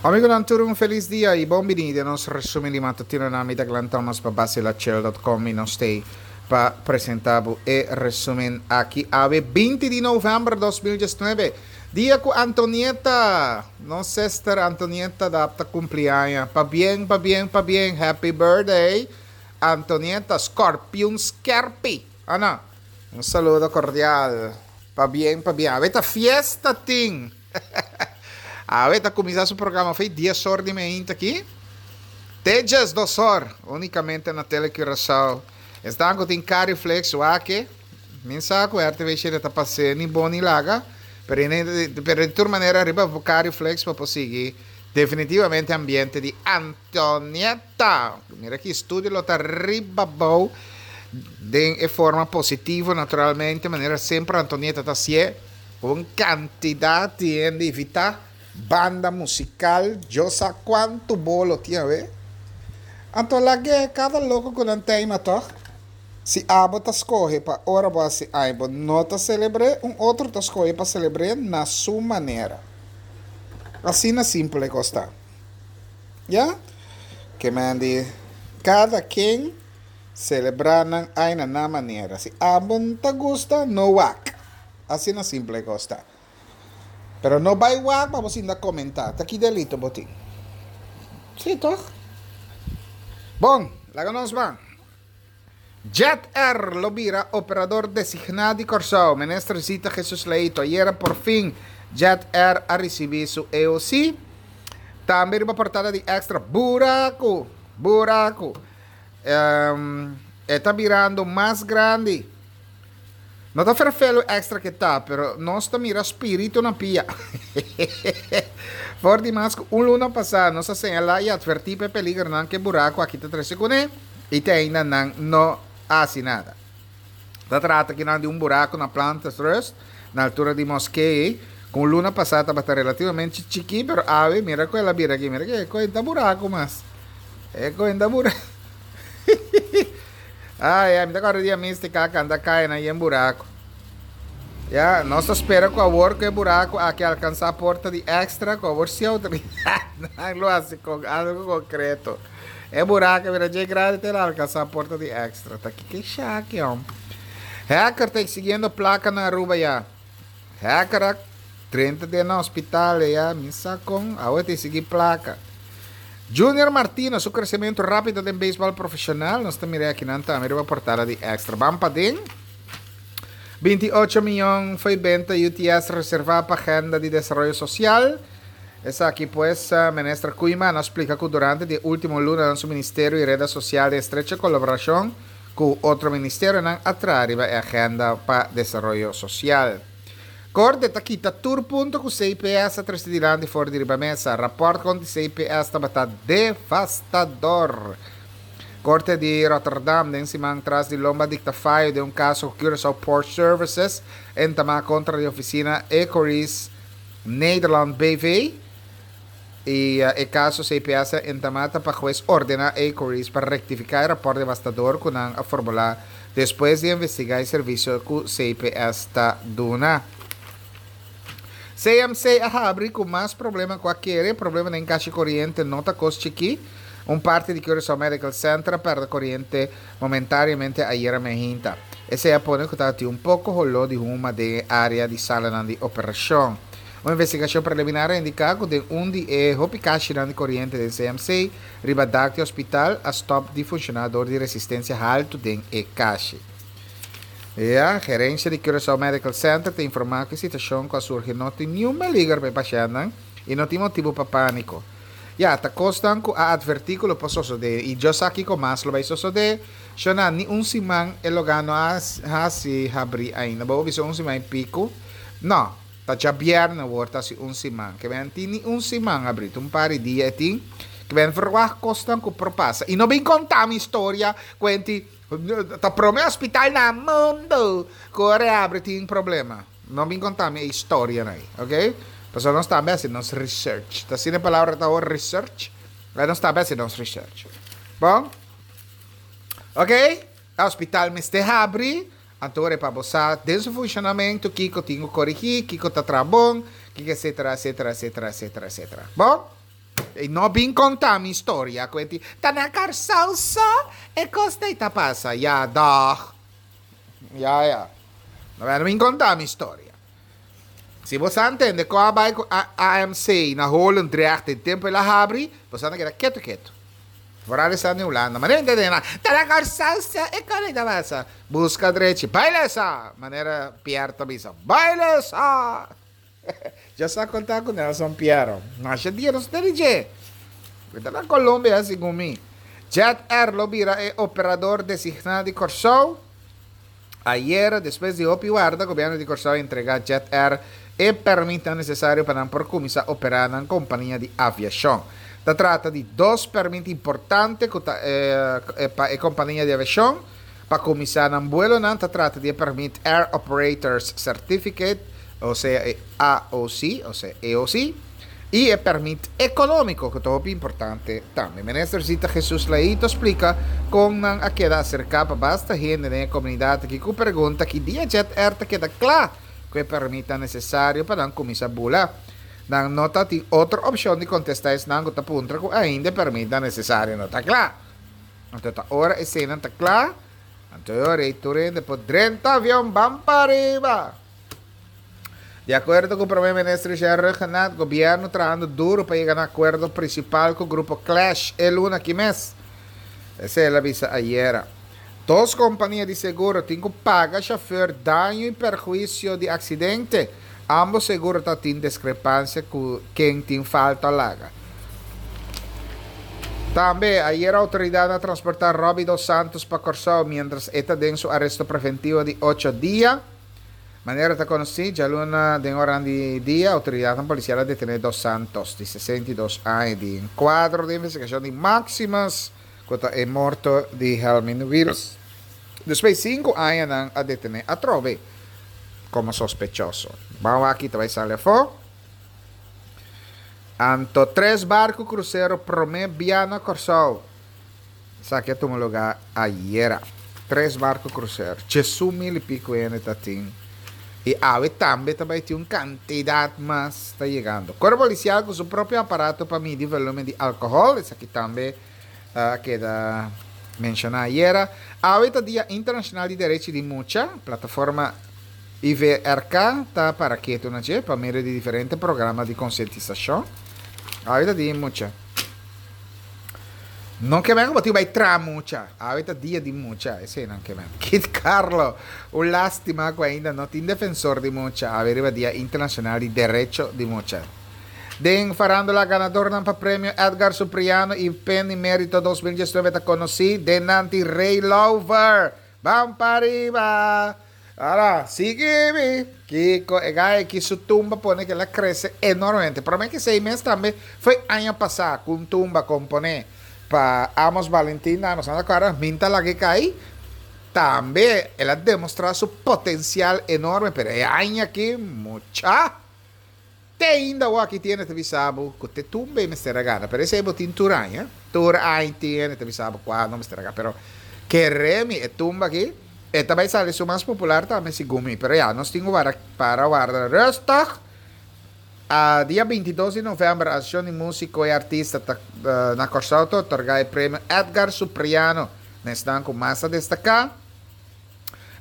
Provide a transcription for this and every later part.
Amigonan tur un felis dia y bon bini den nos resumen di matutino. Na mi ta Glenn Thomas pa Bacilachel.com y nos tey pa presenta bo e resumen aki awe 20 di november 2019, dia cu Antonieta, nos sister Antonieta, da ta cumpli aña. Pabien, pabien, pabien, happy birthday, Antonieta Scorpion Skerpi. Ana, un saludo cordial. Pabien, pabien. Awe ta fiesta tin. Awe ta kuminsá su programa fei 10 or di meinta aki. Te 12 or, únikamente na Tele Curaçao. Esnan ku tin Cariflex, wak e. Mi sa ku RTV 7 ta pas'é ni bon ni laga, pero pero di tur manera riba Cariflex pa por sigui definitivamente ambiente di Antonieta. Mira ki studio lo ta riba bou den e forma positivo naturalmente, manera semper Antonieta ta hasié. Un kantidat di hende invitá, banda musikal, Dios sa kuantu bolo tin awe. Anto lag'é kada loko ku nan teima tòg. Si abo ta skohe pa ora bo hasi ai bo no ta selebr'é, un otro ta skohe pa selebr'é na su manera. Asina simpel e kos ta. Ya? Ke men di kada ken selebrá nan ai na nan manera. Si abo no ta gusta, no wak. Asina simple e kos ta. Pero no bai wak pa bo sinta komentá. Ta ki delito bo tin? Sí, tòg? Bon, laga nos ban. Jet Air lo bira operador designá di Kòrsou. Minister Zita Jesus Leito, ayera por fin Jet Air a risibí su EOC. Tambe riba portada di Extra, Buraku! Buraku! E ta birando mas grandi. No ta ferfelu extra ke ta, pero nos ta mira spiritu na pia. For di mas ku un luna pasá nos a señalá i atvertí pa e peligernan ku e buraku aki ta trese kuné, i te ainda nan no a hasi nada. Ta trata akinan di un buraku na Plantersrust, na altura di Moskee, ku un luna pasá tabata relativamente chikí, pero awe mira ku el a bira aki, mira ke koe ta buraku mas. E koe ta buraku. Ai, ai, mi ta kòrda dia Mística a kanta kai na yen buraku. Ya, nos ta spera ku awor ku e buraku aki alkansá porta di Extra, ku awor si outoridatnan lo hasi kon algu konkreto. E buraku a bira dje grandi te el a alkansá porta di Extra. Ta kiko e shaki, hòm? Hacker ta eksigiendo plaka na Aruba ya. Hacker a drenta den na hospital ya, mi sa kon, awe ta sigui plaka. Junior Martina su kresementu rápido den beisbòl profeshonal, nos ta mira akinan tambe riba portada di Extra. Ban paden. 28 miyon fo'i benta UTS reservá pa agenda di desaroyo sosial. Esaki pues, Minister Koeiman a splika ku durante di e último lunanan su ministerio i Reda Sosial den estrecho kolaborashon Ku otro ministerionan a traha riba e agenda pa desaroyo sosial. Korte ta kita tur punto ku CPS a trese dilanti for di riba mesa. Rapòrt kontra CPS tabata devastador. Korte di Rotterdam den siman tras di lomba dikta fayo den un kaso ku Curaçao Port Services entamá kontra di ofisina Ecorys Nederland BV. I e kaso CPS a entamá ta pa hues ordená Ecorys pa rektifiká e rapòrt devastador ku nan a formulá despues di investigá e servisio ku CPS ta duna. CMC a habri ku mas problema ku a kere, problema den kashi koriente no ta kos chikí. Un parti di Curaçao Medical Center a pèrdè koriente momentariamente ayera mehinta. Esei a pone ku tabatin un poko holó di huma den e área di salanan di operashon. Un investigashon preliminar a indiká ku den un di e hopi kashinan di koriente den CMC riba dak di hospital a stòp di funshoná dor di resistensia haltu den e kashi. Ya, gerensia di Curaçao Medical Center ta informá ku e situashon ku a surgi no tin niun peliger pa e pashèntnan i no tin motibu pa pániko. Ya, ta kosnan ku a atvertí ku lo por sosodé i Dios sa kiko mas lo bai sosodé. Shona, ni un siman e lugá no a hasi habrí ainda. Bo a bisa un siman i piku? No. Ta djabièrnè awor ta hasi un siman. Ke men tin ni un siman abrí, ta un par di dia e tin. Ke men verwagt kosnan ku por pasa. I no bin konta mi historia ku enti ta prome hospital na mundu ku ora e abri tin problema. No bin konta mi e historianan ei, ok? Pasobra nos tambe hasi nos research. Ta asina e palabra ta awor, research? Nos tambe hasi nos research. Bon? Ok? E hospital mester habri. Anto ora e pa bo sa den su funshonamentu kiko tin ku korigí, kiko ta traha bon, kiko etsetera, etsetera, etsetera, etsetera, etsetera. Bon? I no bin konta mi storia ku e tin, ta na Kòrsou so e kos ei ta pasa. Ya dòg. Ya ya. No bin konta mi storia. Si bo sa ntende kon a bai ku AMC na Holendrecht den tempu el a habri, bo sa ta keda ketu ketu. Foral esnan di Hulanda. Manera ntende nan, ta na Kòrsou so e kos ei ta pasa. Buska drechi. Bai lesa! Manera Pierre ta bisa, Bai lesa! Dja sa konta ku Nelson Piero. Masha dia nos ta di dje. E ta na Colombia segun mi. Jet Air lo bira e operador designá di Kòrsou. Ayera, despues di hopi warda, gobièrnu di Kòrsou a entregá Jet Air e pèrmitnan nesesario pa nan por kuminsá operá nan kompania di aviashon. Ta trata di dos pèrmit importante ku ta pa e kompania di aviashon pa kuminsá nan buelonan. Ta trata di e pèrmit Air Operators Certificate, osea e AOC, osea EOC, i e pèrmit ekonómiko ku ta hopi importante tambe. Minister Zita Jesus Leito splika kon nan a keda aserká pa basta hende den e komunidat aki ku pregunta ki dia Jet Air ta keda kla ku e pèrmitnan nesesario pa nan kuminsá bula. Nan no ta tin otro opshon di kontestá esnan ku ta puntra ku ainda e pèrmitnan nesesario no ta kla. Anto ta ora eseinan ta kla, anto e ora ei tur hende por drenta avion ban pariba. Di akuerdo ku Prome Minister Jerry Rhuggenaath, gobièrnu trahando duru pa yega na akuerdo prinsipal ku grupo Clash e luna aki mes. Esei el a bisa ayera. Dos kompania di seguro tin ku paga shofèr daño i perhuisio di aksidente. Ambos seguro ta tin diskrepansia ku ken tin falta laga. Tambe, ayera outoridatnan a transportá Robbie dos Santos pa Kòrsou miéntras e ta den su aresto preventivo di ocho dia. Manera ta konosí, djaluna den oran di dia outoridatnan polisial a detené Dos Santos, di 62 aña, di un kuadro di investigashon di Maximus, ku ta e morto di Helmin Wiels. Despues sinku aña nan a detené atrobe komo sospechoso. Ban wak aki ta bai sali afó. Anto tres barku krusero promé bia na Kòrsou. Esaki a tuma lugá ayera. Tres barco crucero, djesun mil i pico hende ta tin i awe tambe ta bai tin un cantidad mas ta yegando. Cuerpo Policial cu su propio aparato pa midi volumen di alcohol, esaki tambe a keda menciona ayera. Awe ta Dia Internacional di Derechi di Mucha, plataforma IVRK ta para ketu na dje pa medio di diferente programa di concientisacion. Awe ta Dia di Mucha. No ke men ku bo tin bai traha mucha. Awe ta dia di mucha, eseinan ke men. Kit Carlo, un lastima ku ainda no tin defensor di mucha awe riba Dia Internashonal di Derecho di Mucha. Den farandola ganadornan pa premio Edgar Supriano i Penny Merito 2019 ta konosí, den nan tin Ray Louver. Ban pariba! Ala, sigui mi! Kiko e gai aki su tumba pone ku el a krese enormemente. Promé ku esei mes tambe foi aña pasá ku un tumba komponé pa Amos Valentin, Amos no ta kòrda, Min ta laga e kai. Tambe el a demostrá su potensial enorme, pero e aña aki mucha! Te ainda awor aki tin hende ta bisa bo ku te tumba e mester a gana, pero esei bo tin tur aña, tur aña tin hende ta bisa bo kua no mester a gana, pero kere mi e tumba aki e ta bai sali su mas popular tambe segun mi, pero ya nos tin ku wara para warda rustig. A dia 22 di november Asociacion di Musico y Artista ta na Kòrsou ta otorga e premio Edgar Supriano na esnan ku mas a destaká.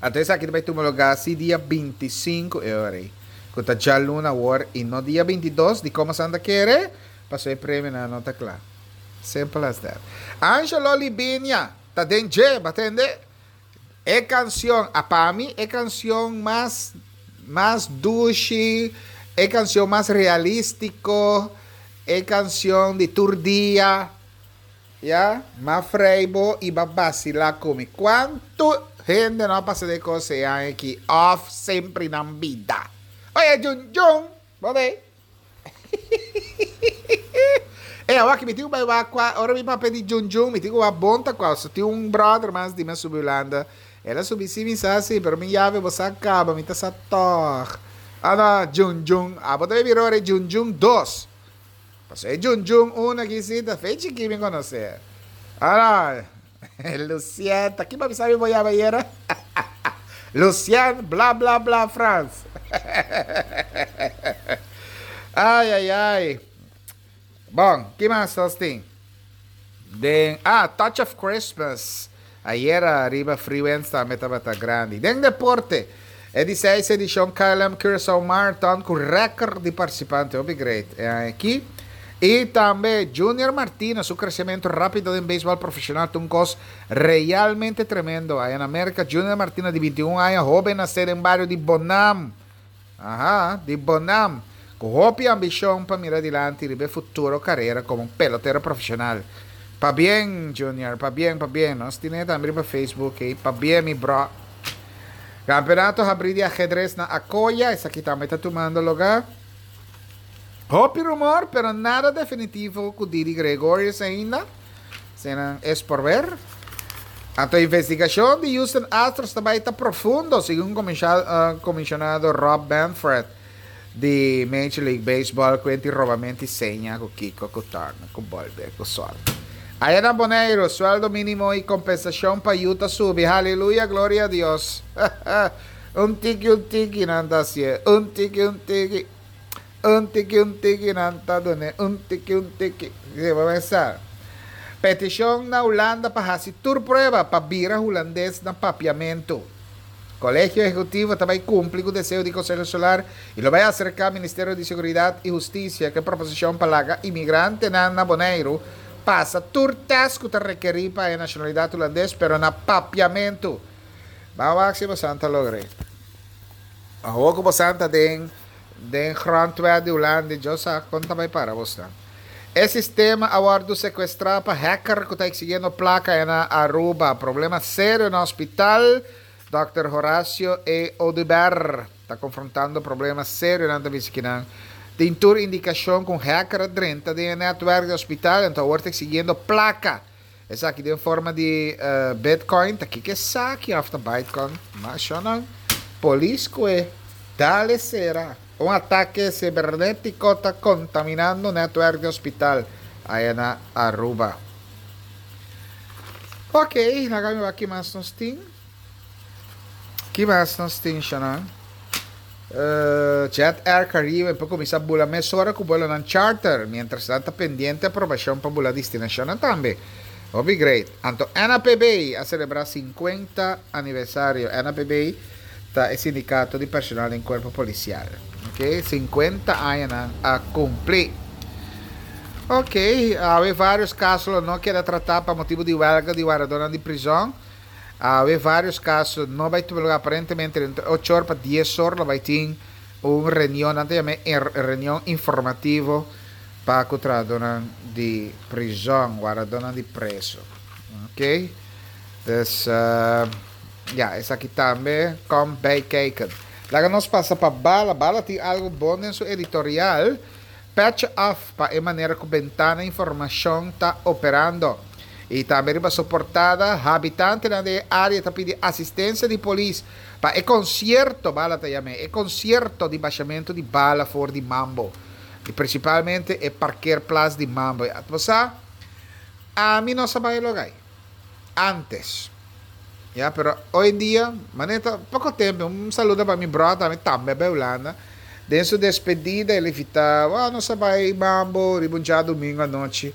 Anto esaki ta bai tuma lugá si dia 25 e ora ei, ku ta djaluna awor i no dia 22, dikon boso anda kere? Pasobra e premionan no ta kla. Simple as that. Angelo Libinia ta den dje, bo a tende? E kansion, a pa mi e kansion mas mas dushi, e kansion mas realístiko, e kansion di tur dia. Ya, m'a frei bo i b'a basilá ku mi. Kuantu hende no a pasa den kos e aña aki òf sempri nan bida? Oye, Jun Jun, bo bei? E, awor aki mi tin ku bai wak kua, ora mi papia di Jun Jun, mi tin ku wak bon ta kua. So tin un bròder mas di mi a subi Hulanda, el a subi si mi sa si, pero mi yabe bo sa kaba, mi ta sa tòg. Ah no, Jun Jun, abo ta bai bira ora e Jun Jun dos. Paso e Jun Jun un aki si ta fe chiki mi conoce. Ara, Lucien, ta kiba mi sabi bo yama ayera? Lucien bla bla bla Frans. Ay ay ay. Bon, ki mas nos tin? Den, ah, Touch of Christmas. Ayera riba Freewinds tambe tabata grandi. Den deporte, e di seis edishon KLM Curaçao Marathon ku rèkòrt di partisipante. Hopi great e aña aki. I tambe Junior Martina su kresementu rápido den beisbòl profeshonal ta un kos realmente tremendo. Aya na Merka Junior Martina di 21 aña hóben nasé den bario di Bonam. Aha, di Bonam, ku hopi ambishon pa mira dilanti riba e futuro karera komo un pelotero profeshonal. Pabien, Junior, pabien, pabien. Nos tine tambe riba Facebook ei. Pabien, mi bro. Kampeonato habrí di ahedres na Acoya, esaki tambe ta tumando lugá. Hopi rumor, pero nada definitivo ku Didi Gregorius ainda. Senan es por ver. Anto investigashon di Houston Astros ta bai ta profundo, segun comisionado Rob Manfred di Major League Baseball ku enti robamento i seña ku kiko ku torna ku bolbe ku sol. Aya na Boneiru, sueldo minimo i kompensashon pa yu ta subi. Haleluya, gloria a Dios. Un tiki un tiki nan ta hasié, un tiki un tiki. Un tiki un tiki nan ta dun'é un tiki un tiki. Si bo mester. Petishon na Hulanda pa hasi tur prueba pa bira hulandes na papiamentu. Kolegio Ehekutivo ta bai kumpli ku deseo di Konseho Insular i lo bai aserká Ministerio di Seguridat i Hustisia ku e proposishon pa laga imigrantenan na Boneiru pasa tur tèst ku ta rekerí pa haña nashonalidat hulandes pero na papiamentu. Ban wak si bosan ta logr'é. Awor ku bosan ta den. Den grondwet di Hulanda djo sa kon ta bai para bosnan. E sistema a wordu sekuestrá pa hacker ku ta eksigiendo plaka e na Aruba. Problema serio na hospital, Dòkter Horacio E. Oduber ta konfrontando problema serio nan ta bisa kinan tin tur indikashon ku un hacker a drenta den e netwerk di hospital anto awor ta eksigiendo plaka. Esaki den forma di bitcoin ta kiko esaki of ta bytecoin? Mashonan polis kue dale sera. Un atake cibernetico ta contaminando netwerk di hospital aya na Aruba. Ok, laga mi wak ki mas nos tin. Ki mas nos tin shonan? Jet Air Caribe por kuminsá bula mesora ku buelonan charter, miéntras nan ta pendiente aprobashon pa bula destinashonnan tambe. Hopi great. Anto NAPB a selebrá sinkuenta aniversario. NAPB ta e sindikato di personal den kuerpo polisial. Ok, sinkuenta aña nan a kumpli. Ok, awe vários kaso lo no keda tratá pa motibu di wèlga di wardadónan di prizòn. Awe varios caso no bay tuma lugar aparentemente dentro ocho or pa dies or lo bay tin un reunion nan ta yama e reunion informativo pa cu trahadornan di prison wardadornan di preso ok dus ya esaki tambe kom bij kijken laga nos pasa pa bala bala tin algo bon den su editorial. Petje af pa e manera ku Bentana Informashon ta operando. I tambe riba su portada, habitantenan den e área ta pidi asistensia di polis pa e konsierto, bala ta yam'é, e konsierto di bashamentu di bala for di Mambo. I prinsipalmente e parkeerplaats di Mambo. Bo sa, ami no sa bai logai. Antes. Ya, pero hoy en dia, manera ta poco tempo, un saludo pa mi brother, mi tambe a bai Hulanda. Den su despedida el invita, oh, nos a bai mambo riba un djadomingo anochi.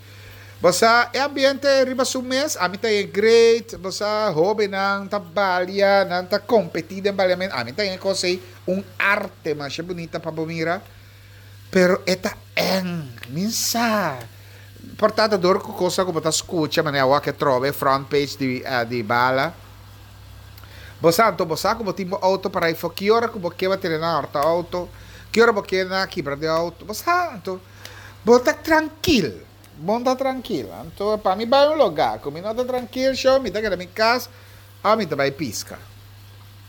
Bo sa, e ambiente riba su mes, ami ta e great, bo sa, hobennan ta balia, nan ta competi den baliamento, ami ta e cos ei un arte masha bunita pa bo mira, pero e ta eng, mi sa. Por ta ta dor ku kosa ku bo ta skucha manera awor ke trobe front page di di bala. Bo sa anto bo sa ku bo tin bo outo para efo ki ora ku bo ke bo tene nan horta outo, ki ora bo ke nan kibra den outo. Bo sa anto bo ta trankil, bo ta trankil. Anto pa mi bai un loga ku mi no ta trankil sho mi ta keda mi kas òf mi ta bai piska.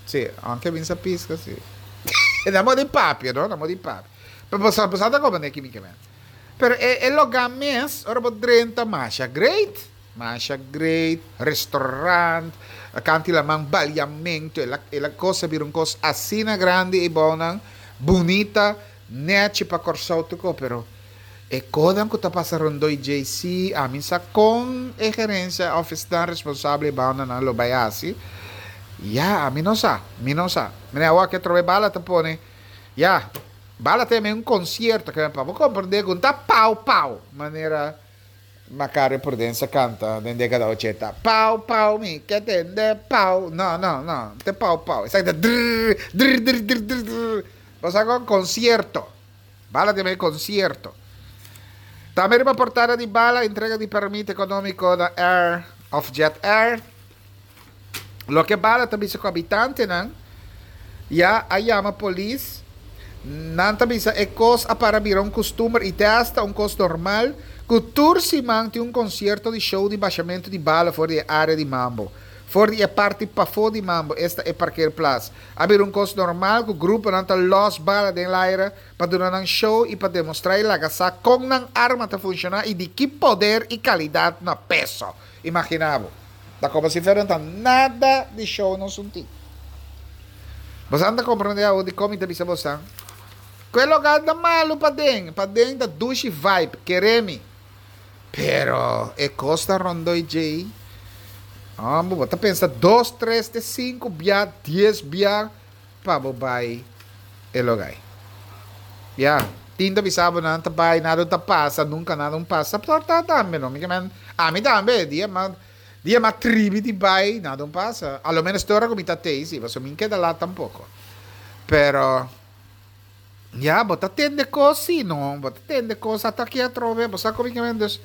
Si, aunke mi sa piska si. Na modo di papia no, na modo di papia. Pero bo sa bo sa ta komo neki mi ke men. Pero e e logá mes, ora bo drenta, masha great. Masha great, restaurant, kanti laman, baliamentu, el a el a kos a bira un kos asina grandi ei bounan, bunita, nèchi pa Kòrsou tuko, pero e konan ku ta pasa rondó i djei sí, ami sa kon e gerensia òf esnan responsabel ei bounan lo bai hasi, ya, ami no sa, mi no sa. Mira awor ke atrobe bala ta pone, ya. Bala teme un konsierto ke pa bo komprendé ku no ta pau pau manera Macario Prudencia kanta den dekada ochenta. Pau pau mi ke tende pau. No no no, no ta pau pau. Esaki ta drrr drrr drrr drrr drrr drrr. Bo sa kon konsierto. Bala teme konsierto. Tambe riba portada di Bala entrega di permit ekonómiko na Air of Jet Air. Loke Bala ta bisa ku habitantenan ya a yama polis, nan ta bisa e kos a para bira un kustumber i te asta un kos normal ku tur siman tin un konsierto di show di bashamentu di bala for di e área di Mambo. For di e parti pafó di Mambo, esta e parkeerplaats, a bira un kos normal ku gruponan ta lòs bala den laira pa duna nan show i pa demostrá i laga sa kon nan arma ta funshoná i di ki poder i kalidat na peso. Imaginá bo. Ta como si fuera no ta nada di show nos un tin. Bosan ta comprende awo dikon mi ta bisa bosan ku e logal ta malu paden. Paden ta dushi vibe, kere mi. Pero e kos ta rondoi djei. Homber, bo ta pensa dos, tres te sinku bia, dies bia pa bo bai e logai. Ya, tin ta bisa bo nan ta bai, nada ta pasa, nunka nada un pasa. Por ta tambe no, mi ke men, ami tambe, dia mas. Dia m'a tribi di bai, nada un pasa. A lo menos te ora ku mi ta tei si, pasobra mi keda lat tampoko. Pero, ya, bo ta tende kos si, no? Bo ta tende kos ata aki atrobe, bo sa kon mi ke men. Dus,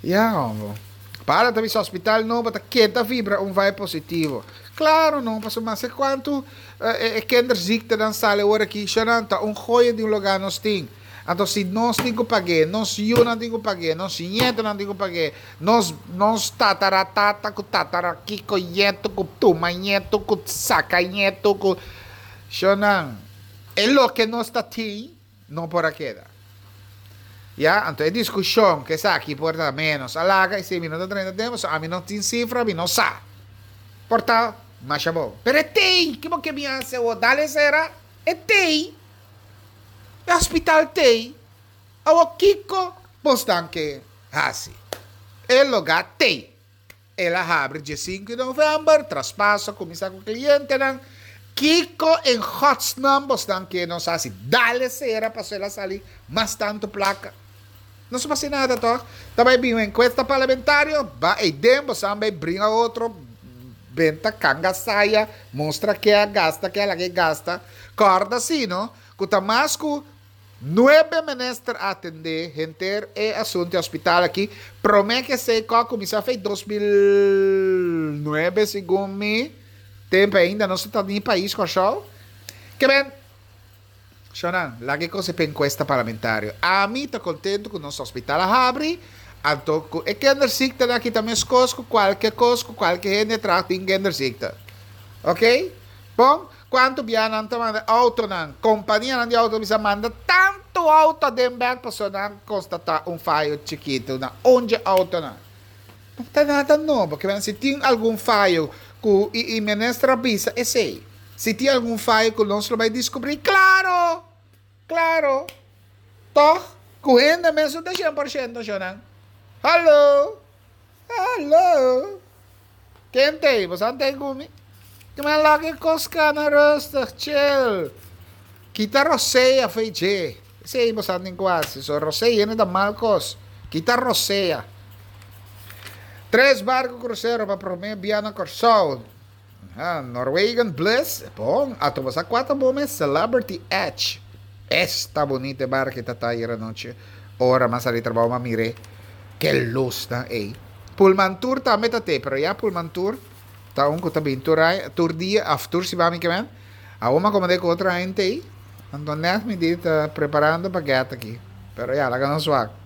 ya, hombo. Para ta bisa hospital nobo ta keda vibra un vibe positivo. Klaro no, pasobra mase kuantu e kinderziektenan sali awor aki, shownan ta un goya di un lugá nos tin. Anto si nos tin ku pag'é, nos yunan tin ku pag'é, nos ñetonan tin ku pag'é, nos nos tataratata ku tatarakiko ñeto ku tuma ñeto ku saka ñeto ku shownan, e loke nos ta tin no por a keda. Ya, anto e diskushon ku esaki por ta ménos a laga, esei mi no ta drenta den, pasobra ami no tin sifra, mi no sa. Por ta masha bon. Pero e tei! Ke bo ke mi hasi awor? Dale sera? E tei! E hospital tei, awor kiko bosnan ke hasi? E lugá tei. El a habri diesinku di novèmber, traspaso a kuminsá ku klientenan. Kiko en godsnaam bosnan ke nos hasi? Dale sera pasobra el a sali mas tantu plaka. No su hasi nada tòg? Ta bai bin un enkuesta parlamentario, ba eiden bosan bai bringa otro, benta kanga saya, mustra ke a gasta, ke a laga e gasta. Kòrda si no, ku ta mas ku nuebe minister a atendé henter e asuntu di hospital aki promé ku esei kò kuminsá fei 2009 segun mi tempu ainda nos no ta ni pais Kòrsou. Ke men, shònan, laga e kos e pa enkuesta parlamentario. Ami ta kontentu ku nos hospital a habri, anto ku e kinderziektenan aki ta meskos ku kualke kos ku kualke hende a traha tin kinderziekte. Oké? Bon. Cuanto bia nan ta manda autonan, companianan di auto bisa manda tanto auto aden bek pasobra nan constata un fayo chikito na un dje autonan. No ta nada nobo, kimen si tin algun fayo cu y y minister a bisa esey, si tin algun fayo cu nos lo bay descubri, claro! Claro! Toch? Cu hende mes no ta 100% shonan. Hallo! Hallo! Ken t'ei? Bo sa t'ei ku mi? Ki men laga e kos kana rustig, chill. Kita rosea fo'i dje. Esei bo sa tin ku hasi. So rosea yena ta mal kos. Kita rosea. Tres barku krusero pa promé bia na Kòrsou. Aha, Norwegian Bliss, bon, ato bo sa kua ta bon mes? Celebrity Edge. Esta bunita e barca ta ta ayer anochi. Ora m'a sali trabou m'a mir'é. Ke lusnan ei. Pullman Tour tambe ta te, pero ya Pullman Tour ta un ku ta bin tur aña, tur dia of tur siman mi ke men. Awor m'a komand'é ku otro hende ei. Anto nèt mi di ta preparando pa gèt aki. Pero ya, laga nos wak.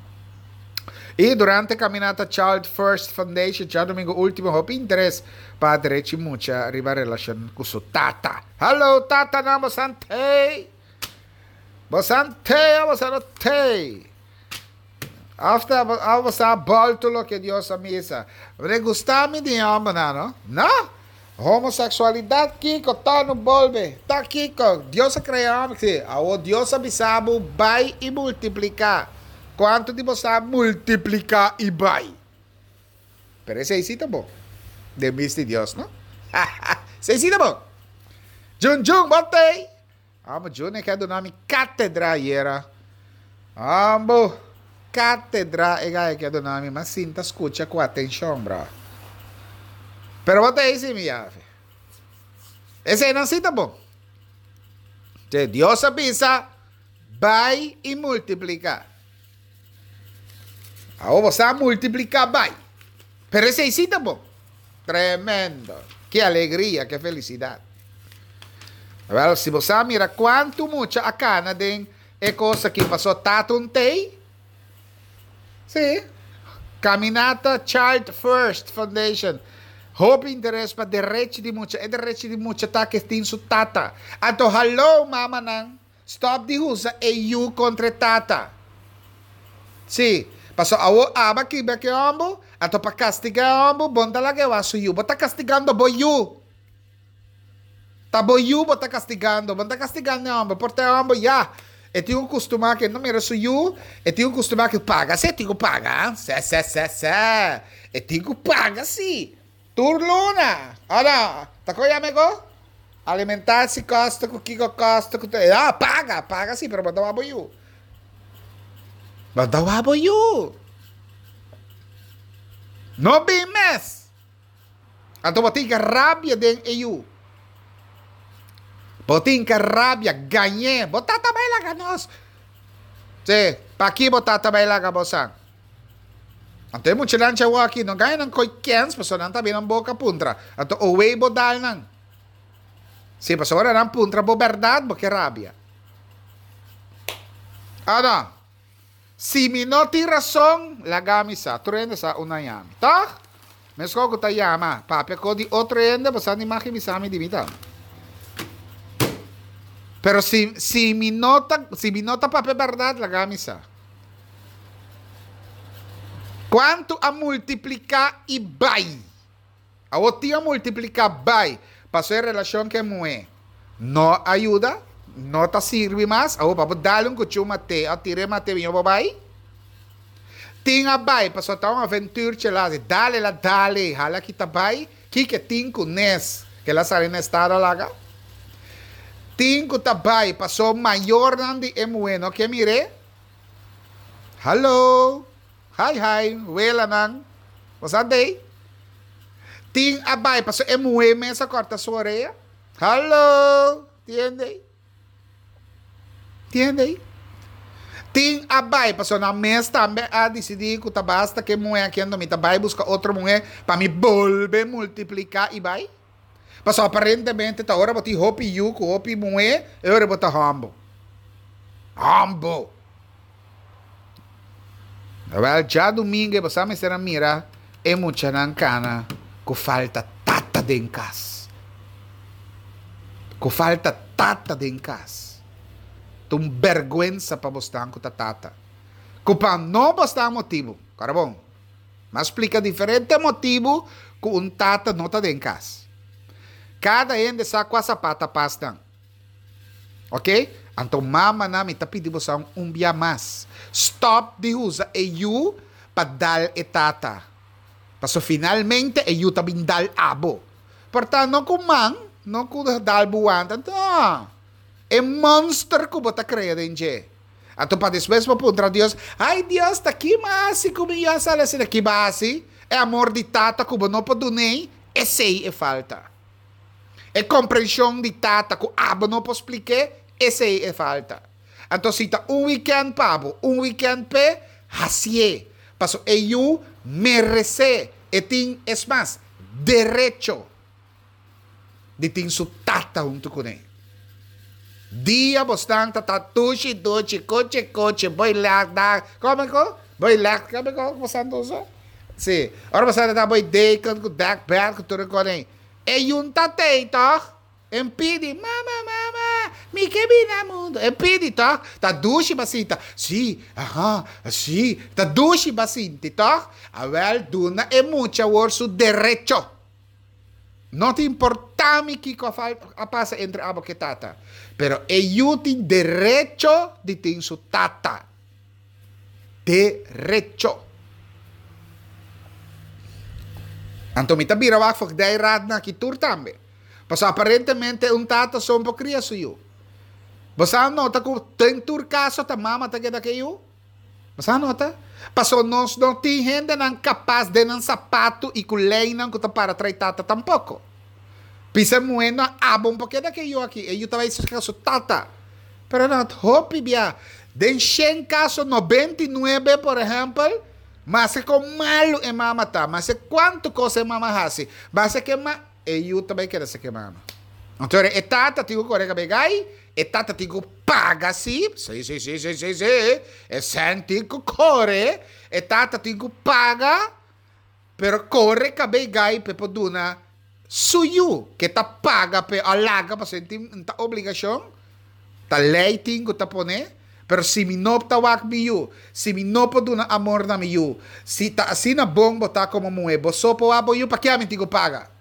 I durante kaminata Child First Foundation djadumingu ultimo hopi interes pa derechi mucha riba relashon ku su tata. Hallo tatanan bosan tei? Bosan tei of bosan no tei? Of ta of bosan a bolto loke Dios a misa? Bo gusta mi di e hombernan no? No? Homosexualidad kiko ta no bolbe ta kiko Dios a crea homber si awor Dios a bisa bo bay y multiplica cuanto di bo sa multiplica y bay pero esey si ta bon den bista di Dios no esey si ta bon Jun Jun bo tey. Amo Junior ke a duna mi katedra ayera. Ambo katedra e gaya ke a duna mi. M'a sinta skucha ku atenshon, bro. Pero bo ta esi mi yafe. Eseinan si ta bon. Te Dios a bisa, bai i multipliká. Awor bo sa multipliká bai. Pero esei si ta bon. Tremendo! Ki alegria, ke felisidat! Wel, si bo sa mira kuantu mucha a kana den e kos aki paso tata un tei. Sí. Kaminata Child First Foundation. Hopi interes pa derechi di mucha. E derechi di mucha ta ke tin su tata. Anto hallo mamanan. Stop di usa e yu kontra e tata. Sí, paso awor aba kibra ku e hòmber, anto pa kastigá e hòmber bo no ta laga e wak su yu. Bo ta kastigando bo yu. Ta bo yu bo ta kastigando, bo no ta kastigando e hòmber. Por ta e hòmber ya e tin ku kustumá ku e no mira su yu, e tin ku kustumá ku paga si e tin ku paga. Sè, sè, sè, sè. E tin ku paga si. Tur luna! Ora, ta kon yama e go? Alimentatie kosten ku kiko kosten ku ya, paga, paga si, pero bo ta wak bo yu. Bo ta wak bo yu. No bin mes. Anto bo tin ke rabia den e yu. Bo tin ke rabia, gañ'é. Bo tata bai laga nos. Si, paki bo tata bai laga bo san? Anto e muchanan dje awor aki no gana nan koi kens pasobra nan ta habri nan boka puntra. Anto owei bo dal nan. Si, pasobra ora nan puntra bo bèrdat bo ke rabia. O no? Si mi no tin rason, laga mi sa. Tur hende sa unda yami. Tòg? Meskos ku ta yama, papia ko di otro hende, bo sa ni mag bisa mi di mi ta. Pero si, si mi no ta, si mi no ta papia bèrdat, laga mi sa. Kuantu a multipliká i bai. Awor tin a multipliká bai pasobra e relashon ku e muhé no a yuda, no ta sirbi mas. Awor pa bo dal un kuchú mat'é òf tir'é mat'é biña bo bai. Tin a bai pasobra ta un aventurchi el a hasi. Dal el a dal ei, hala kita bai. Kiko tin ku nes ku el a sali na estado a laga? Tin ku ta bai pasobra mayornan di e muhé no ke mir'é. Hallo! Hi hi, welanan. Bo sa dey? Tin a bai pasobra e muhé mes a kòrta su orea. Hallo! Tin hende ei? Tin hende ei? Tin a bai pasobra nan mes tambe a disidí ku ta basta ku e muhé aki anto mi ta bai buska otro muhé pa mi bolbe multipliká i bai. Pasobra aparentemente ta ora bo tin hopi yu ku hopi muhé e ora bo ta hòmber. Hòmber! Wèl, djadumingu bo sa mester a mira e muchanan kana ku falta tata den kas. Ku falta tata den kas. Ta un bèrgwensa pa bosnan ku ta tata. Ku pa no bosnan motibu. Kòrda bon. M'a splika diferente motibu ku un tata no ta den kas. Kada hende sa kua sapat ta pas nan. Ok? Anto mamanan mi ta pidi boso un bia mas. Stòp di usa e yu pa dal e tata. Paso finalmente e yu ta bin dal abo. Por ta no ku man, no ku dal bo wanta, no. E monster ku bo ta krea den dje. Anto pa despues bo puntra Dios, Ai Dios, ta ki m'a hasi ku mi yu a sali asina? Ki b'a hasi? E amor di tata ku bo no por dun'ei, esei e falta. E komprenshon di tata ku abo no por splik'é, esei e falta. Anto si ta un wikènt pa bo, un wikènt p'e, hasié. Paso e yu meresé, e tin, es mas, derecho. di tin su tata huntu kuné. Dia bosnan ta ta tushi duchi, kuchi kuchi, boy lèk dak, kome ku? Boy lèk, kome ku bosnan ta usa? Si, ora bosnan ta ta boy deken ku dèk bèd ku tur e kos ei, e yun ta tei tòg? E pidi, mama, mama, mi ke bini na mundu. E pidi tòg? Ta dushi bo sinta, si, aha, si, ta dushi bo sinti tòg? Awèl, duna e mucha awor su derecho. No ta importá mi kiko a pasa entre abo ku e tata, pero e yu tin derecho di tin su tata. Derecho. Anto mi ta bira wak fokdei ratnan aki tur tambe. Pasobra aparentemente un tata son por kria su yu. Bo sa nota ku den tur kaso ta mama ta keda ku e yu? Bo sa nota? Pasobra nos no tin hendenan kapas den nan sapatu i ku leinan ku ta para trai tata tampoko. Bisa e muhé no abo un por keda ku e yu aki, e yu ta bai serka su tata. Pero no hopi bia. Den shen kaso 99 por ehèmpel, maske kon malu e mama ta, maske kuantu kos e mama hasi, maske ke ma, e yu ta bai keda serka e mama. Anto e tata tin ku kore kabei gai, e tata tin ku paga si, si si si si si si, e sèn tin ku kore, e tata tin ku paga, pero kore kabei gai pa e por duna su yu ke ta paga p'e a laga pasobra e tin ta obligashon, ta lei tin ku ta pone, pero si mi no ta wak mi yu, si mi no por duna amor na mi yu, si ta asina bon bo ta komo muhé, bo so por wak bo yu, pakia mi tin ku paga?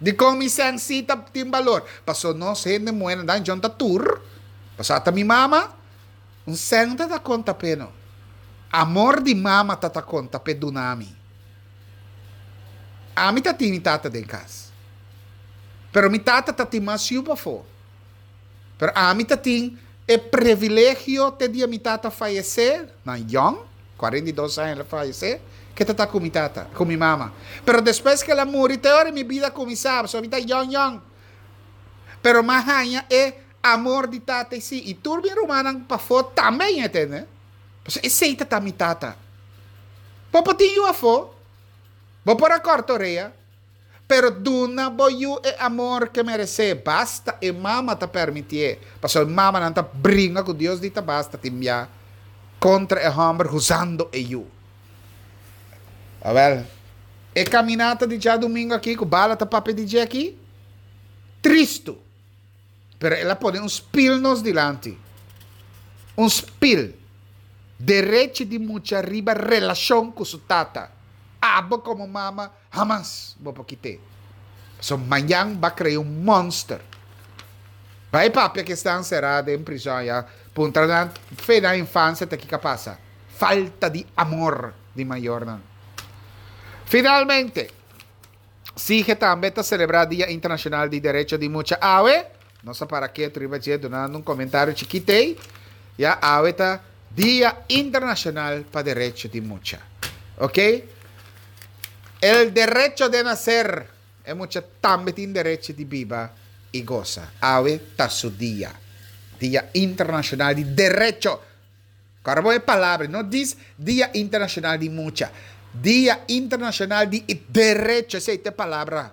Dikon mi sèn si ta tin balor? Pasobra nos hende muhénan dan djon ta tur, pasobra ata mi mama, un sèn ta ta konta p'e no. Amor di mama ta ta konta p'e duna mi. Ami ta tin mi tata den kas. Pero mi tata ta tin mas yu pafó. Pero ami ta tin e previlegio te dia mi tata fayesé, na yòn, 42 aña el a fayesé, ke ta ta ku mi tata, ku mi mama. Pero despues ke el a muri te ora mi bida a kuminsá, pasobra mi ta yòn yòn. Pero m'a haña e amor di tata i sí, i tur mi rumannan pafó tambe a haña tende. Pasobra esei ta ta mi tata. Bo por tin yu afó, bo por a kòrta orea, pero duna bo yu e amor ke meresé, basta e mama ta permitié. Pasobra e mamanan ta bringa ku Dios di ta basta tin bia kontra e hòmber husando e yu. Awèl, e kaminata di djadumingu aki ku bala ta papia di dje aki, tristu. Pero el a pone un spil nos dilanti. Un spil. Derechi di mucha riba relashon ku su tata. Abo komo mama hamas bo por kit'é. Pasobra mañan ba krea un monster. Bai papia ku esnan será den prizòn ya, puntra nan fe nan infansia ta kiko a pasa. Falta di amor di mayornan. Finalmente. Sige tambe ta selebrá Dia Internashonal di Derecho di Mucha awe. Nos a para ketu riba dje dunando un komentario chikit ei. Ya awe ta Dia Internashonal pa Derecho di Mucha. Ok. El derecho de nacer. E mucha tambe tin derecho di biba i gosa. Awe ta su dia. Dia Internashonal di Derecho. Kòrda bo e palabra, no dis Dia Internashonal di Mucha, Dia Internashonal di Derecho, esei ta e palabra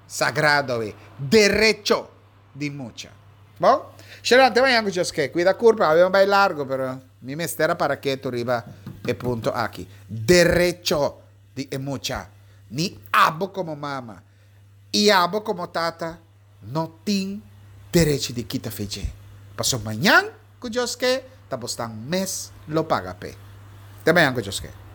sagrado awe, derecho di mucha. Bon, Sharon, te mañan ku Dios ke. Kuida kurpa, awe mi bai largu, pero mi mester a para ketu riba e punto aki. Derecho di e mucha. Ni abo komo mama i abo komo tata no tin derechi di kita fe dje. Pasobra mañan ku Dios ke, ta bosnan mes lo paga p'e. Te mañan ku Dios ke.